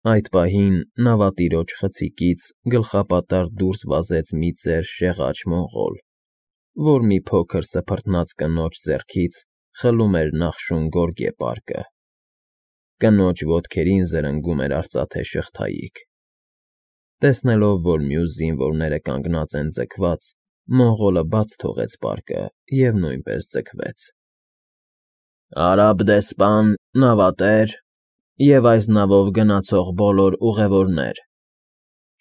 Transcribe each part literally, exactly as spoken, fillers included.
Այդ պահին նավատիրոջ խցիկից գլխապատառ դուրս վազեց մի ծեր շեղաճ մոնղոլ, որ մի փոքր սփռտնած կնոջ ձեռքից խլում էր նախշուն գորգե պարկը. կնոջ ոտքերին զրնգում էր արծաթե շղթայիկ։ Տեսնելով, որ մյուս զինվորները կանգնած են ձգված, մոնղոլը բաց թողեց պարկը և նույնպես ձգվեց։ «Արաբ դեսպան, նավատեր և այս նավով գնացող բոլոր ուղևորներ,֊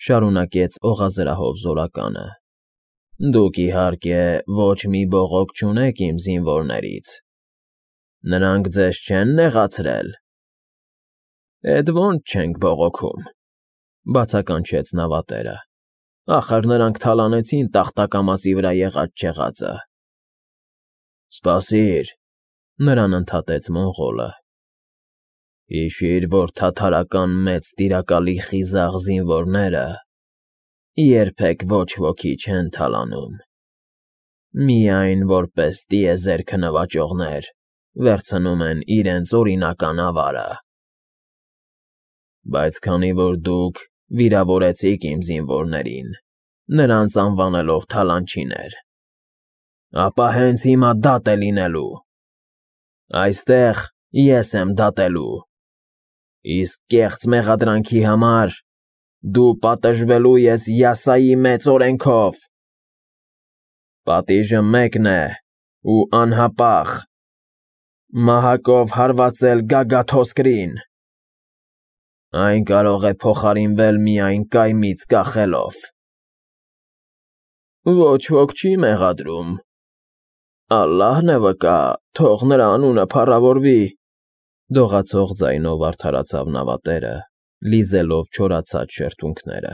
շարունակեց օղազրահով զորականը,֊ դուք, իհարկե, ոչ մի բողոք չունեք իմ զինվորներից… Նրանք ձեզ չե՞ն նեղացրել»։ «Էդ ո՜նց չենք բողոքում,֊ բացականչեց նավատերը,֊ ախր նրանք թալանեցին տախտակամածի վրա եղած չեղածը»։ «Սպասիր,֊ նրան ընդհատեց մոնղոլը,֊ հիշիր, որ թաթարական մեծ տիրակալի խիզախ զինվորները երբեք ոչ ոքի չեն թալանում, միայն, որպես տիեզերքը նվաճողներ, վերցնում են իրենց օրինական ավարը։ Բայց քանի որ դուք վիրավորեցիք իմ զինվորներին, նրանց անվանելով թալանչիներ, ապա հենց հիմա դատ է լինելու… Այստեղ ես եմ դատելու, իսկ կեղծ մեղադրանքի համար դու պատժվելու ես յասայի մեծ օրենքով… Պատիժը մեկն է ու անհապաղ՝ մահակով հարվածել գագաթոսկրին… Այն կարող է փոխարինվել միայն կայմից կախելով»։ «Ոչ ոք չի մեղադրում… Ալլահն է վկա, թող նրա անունը փառավորվի»,֊ դողացող ձայնով արդարացավ նավատերը, լիզելով չորացած շրթունքները։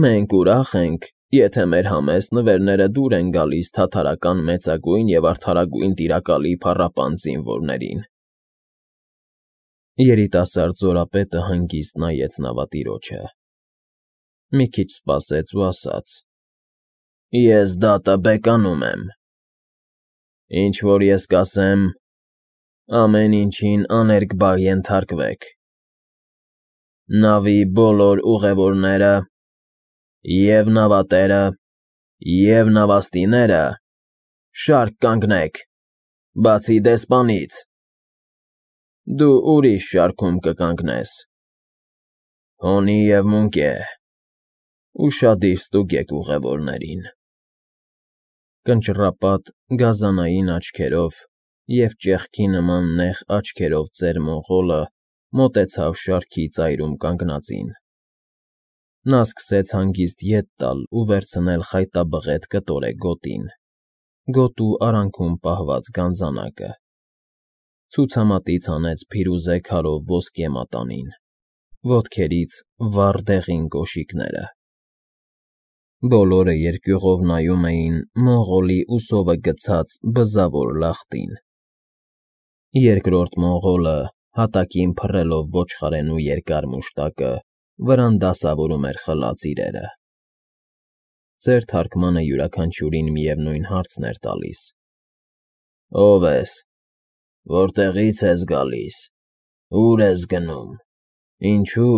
«Մենք ուրախ ենք, եթե մեր համեստ նվերները դուր են գալիս թաթարական մեծագույն և արդարագույն տիրակալի փառապանծ զինվորներին»։ Երիտասարդ զորապետը հանգիստ նայեց նավատիրոջը, մի քիչ սպասեց ու ասաց. «Ես դատը բեկանում եմ… Ինչ որ ես կասեմ, ամեն ինչին աներկբա ենթարկվեք… Նավի բոլոր ուղևորները, և՛ նավատերը, և՛ նավաստիները, շարք կանգնեք, բացի դեսպանից… Դու ուրիշ շարքում կկանգնես… Հոնի և Մունկե, ուշադիր ստուգեք ուղևորներին»։ Կնճռապատ գազանային աչքերով և ճեղքի նման նեղ աչքերով ծեր մոնղոլը մոտեցավ շարքի ծայրում կանգնածին։ Նա սկսեց հանգիստ ետ տալ ու վերցնել խայտաբղետ կտորե գոտին, գոտու արանքում պահված գանձանակը, ցուցամատից հանեց փիրուզե քարով ոսկե մատանին, ոտքերից վառ դեղին կոշիկները։ Բոլորը երկյուղով նայում էին մոնղոլի ուսովը գցած բզավոր լախտին։ Երկրորդ մոնղոլը, հատակին փռելով ոչխարենու երկար մուշտակը, վրան դասավորում էր խլած իրերը։ Ծեր թարկմանը յուրաքանչյուրին միևնույն հարցն էր տալիս. «Ո՞վ ես, որտեղի՞ց ես գալիս, ո՞ւր ես գնում, ինչո՞ւ,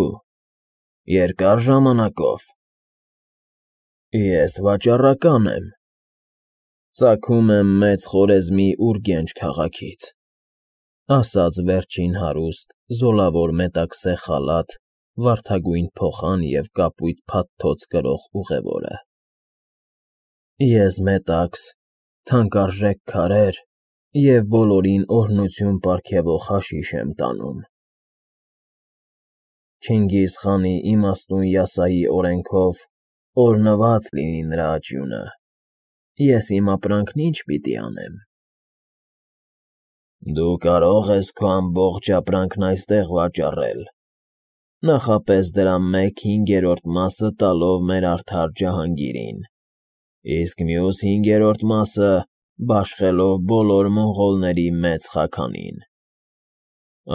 երկա՞ր ժամանակով»։ «Ես վաճառական եմ, ծագում եմ Մեծ Խորեզմի Ուրգենջ քաղաքից»,֊ ասաց վերջին հարուստ, զոլավոր մետաքսե խալաթ, վարդագույն փոխան և կապույտ փաթթոց կրող ուղևորը։ «Ես մետաքս, թանկարժեք քարեր և բոլորին օրհնություն պարգևող հաշիշ եմ տանում։ Չինգիզ խանի իմաստուն յասայի օրենքով օրհնված լինի նրա աճյունը, ես իմ ապրանքն ի՞նչ պիտի անեմ»։ «Դու կարող ես քո ամբողջ ապրանքն այստեղ վաճառել, նախապես դրա մեկ հինգերորդ մասը տալով մեր արդար ջահանգիրին, իսկ մյուս հինգերորդ մասը բաշխելով բոլոր մոնղոլների մեծ խաքանին։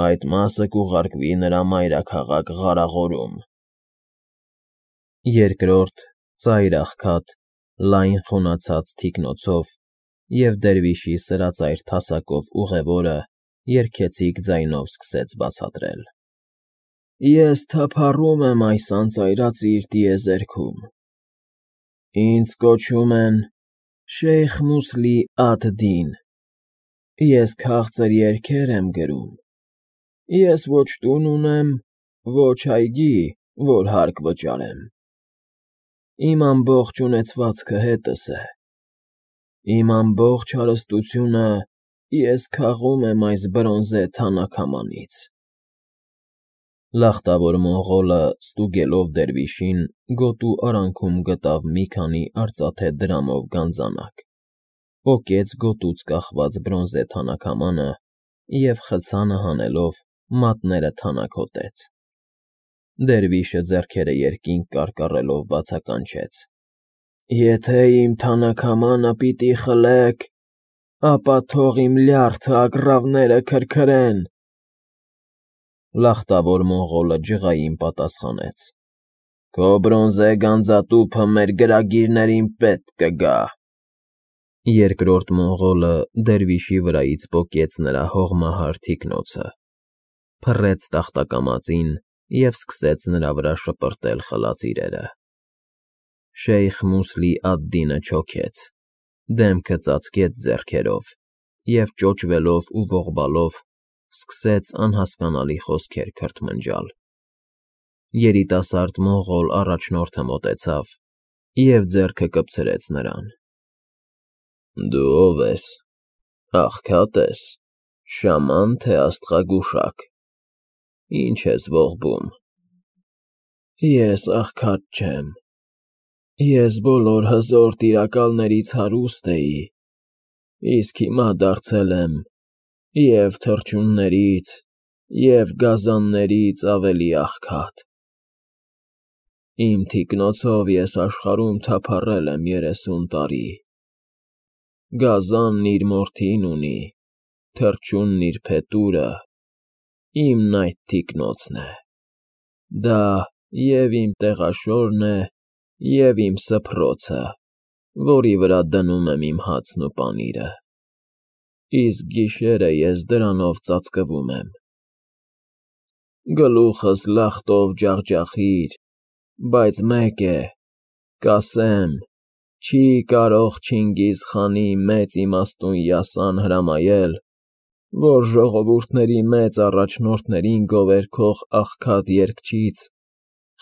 Այդ մասը կուղարկվի նրա մայրաքաղաք Ղարաղորում»։ Երկրորդ, ծայր աղքատ, լայն խունացած թիկնոցով և դերվիշի Ես թափառում եմ այս անծայրածիր տիեզերքում, ինձ կոչում են Շեյխ Մուսլի ադ֊Դին, ես քաղցր երգեր եմ գրում, ես ոչ տուն ունեմ, ոչ այգի, որ հարկ վճարեմ, իմ ամբողջ ունեցվածքը հետս է, իմ ամբողջ հարստությունը ես քաղում եմ այս բրոնզե թանաքամանից։ Լախտավոր մոնղոլը, ստուգելով դերվիշին, գոտու արանքում գտավ մի քանի արծաթե դրամով գանձանակ, պոկեց գոտուց կախված բրոնզե թանաքամանը և խցանը հանելով մատները թանաքոտեց։ Դերվիշը ձեռքերը երկինք կարկառելով բացականչեց. «Եթե իմ թանաքամանը պիտի խլեք, ապա թող իմ լյարդը ագռավները քրքրեն»։ Լախտավոր մոնղոլը ջղային պատասխանեց. «Քո բրոնզե գանձատուփը մեր գրագիրներին պետք կգա»։ Երկրորդ մոնղոլը դերվիշի վրայից պոկեց նրա հողմահար թիկնոցը, փռեց տախտակամածին և սկսեց նրա վրա շպրտել խլած իրերը։ Շեյխ Մուսլի ադ֊Դինը չոքեց, դեմքը ծածկեց ձեռքերով և, ճոճվելով ու ողբալով, սկսեց անհասկանալի խոսքեր քրթմնջալ։ Երիտասարդ մոնղոլ առաջնորդը մոտեցավ և ձեռքը կպցրեց նրան. «Դու ո՞վ ես, աղքա՞տ ես, շաման, թե աստղագուշակ, ի՞նչ ես ողբում»։ «Ես աղքատ չեմ, ես բոլոր հզոր տիրակալներից հարուստ էի, իսկ հիմա դարձել եմ և՛ թռչուններից, և՛ գազաններից ավելի աղքատ։ Իմ թիկնոցով ես աշխարհում թափառել եմ երեսուն տարի, գազանն իր մորթին ունի, թռչունն իր փետուրը, իմն այդ թիկնոցն է, դա և՛ իմ տեղաշորն է, և՛ իմ սփռոցը, որի վրա դնում եմ իմ հացն ու պանիրը, իսկ գիշերը ես դրանով ծածկվում եմ։ Գլուխս լախտով ջախջախիր, բայց մեկ է, կասեմ, չի կարող Չինգիզ խանի մեծ իմաստուն յասան հրամայել, որ ժողովուրդների մեծ առաջնորդներին գովերգող աղքատ երգչից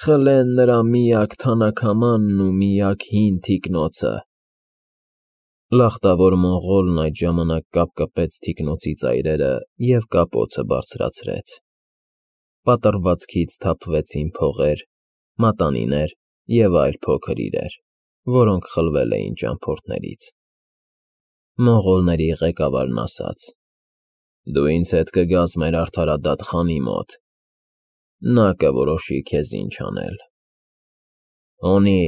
խլեն նրա միակ թանաքամանն ու միակ հին թիկնոցը»։ Լախտավոր մոնղոլն այդ ժամանակ կապկպեց թիկնոցի ծայրերը և կապոցը բարձրացրեց։ Պատռվածքից թափվեցին փողեր, մատանիներ և այլ փոքր իրեր, որոնք խլվել էին ճամփորդներից։ Մոնղոլների ղեկավարն ասաց. «Դու ինձ հետ կգաս մեր արդարադատ խանի մոտ, նա կորոշի քեզ ինչ անել։ Հոնի,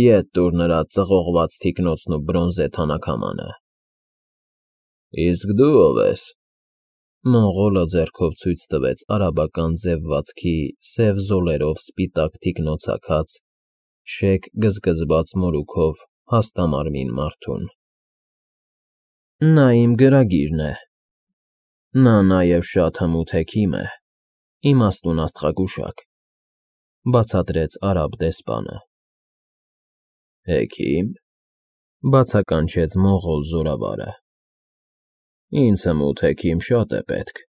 ետ տուր նրա ծղողված թիկնոցն ու բրոնզե թանաքամանը»։ «Իսկ դու ո՞վ ես»։ Մոնղոլը ձեռքով ցույց տվեց արաբական ձևվածքի սև զոլերով սպիտակ թիկնոցաքած, շեկ գզգզված մորուքով հաստամարմին մարդուն։ «Նա իմ գրագիրն է, նա նաև շատ հմուտ հեքիմ է, իմաստուն աստղագուշակ», ֊ բացատրեց արաբ դեսպանը։ «Հեքի՞մ», ֊ բացականչեց մոնղոլ զորավարը։ «Ինձ հմուտ հեքիմ շատ է պետք,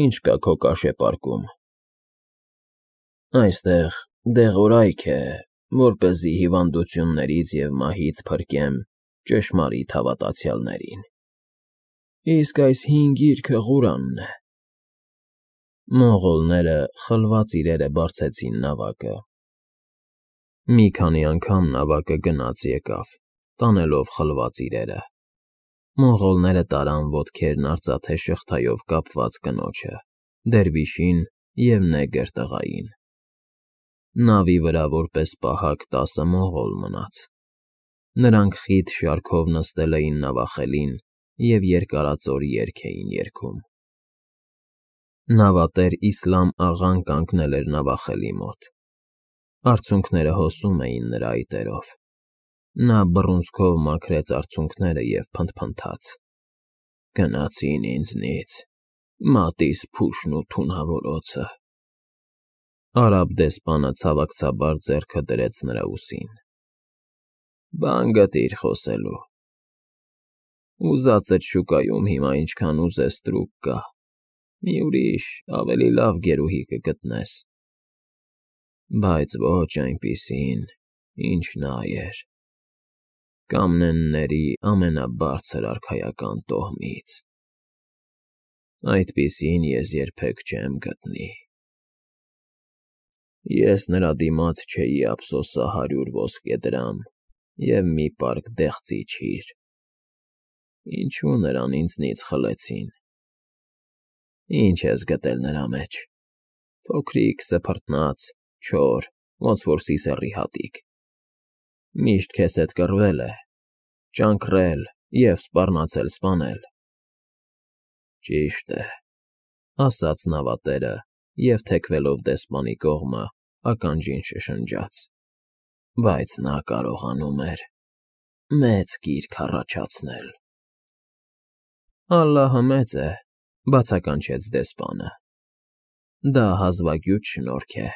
ինչ կա քո կաշեպարկում»։ «Այստեղ դեղորայք է, որպեսզի հիվանդություններից և մահից փրկեմ ճշմարիտ հավատացյալներին, իսկ այս հին գիրքը Ղուրանն է»։ Մոնղոլները խլված իրերը բարձեցին նավակը։ Մի քանի անգամ նավակը գնաց֊եկավ, տանելով խլված իրերը։ Մոնղոլները տարան ոտքերն արծաթե շղթայով կապված կնոջը, դերվիշին և նեգր տղային։ Նավի վրա որպես պահակ տասը մոնղոլ մնաց։ Նրանք խիտ շարքով նստել էին նավախելին և երկարածոր երգ էին երգում։ Նավատեր Իսլամ աղան կանգնել էր նավախելի մոտ։ Արցունքները հոսում էին նրա այտերով։ Նա բռունցքով մաքրեց արցունքները և փնթփնթաց. «Գնացին ինձնից, մատիս փուշն ու թունավորոցը, Արաբ դեսպանը ցավակցաբար ձեռքը դրեց նրա ուսին։ Բան գտիր խոսելու։ Ուզածդ շուկայում հիմա ինչքան ուզեստրուկ կա, մի ուրիշ, ավելի լավ գերուհի կգտնես, բայց ոչ այնպիսին, ինչ նա էր, կամնենների ամենաբարձր արքայական տոհմից, այդպիսին ես երբեք չեմ գտնի։ Ես նրա դիմաց չէի ափսոսա հարյուր ոսկե դրամ և մի պարկ դեղցի չիր, ինչու նրան ինձնից խլեցին։ Ինչ ես գտել նրա մեջ, փոքրիկ, սփռտնաց, չոր, ոնց որ սիսեռի հատիկ, միշտ քեզ հետ կռվել է, ճանկռել և սպառնացել սպանել։ Ճիշտ է, ասաց նավատերը և, թեքվելով դեսպանի կողմը, ականջին շշնջաց, բայց նա կարողանում էր մեծ կիրք առաջացնել։ Ալլահը մեծ է, բացականչեց դեսպանը, դա հազվագյուտ շնորհք է։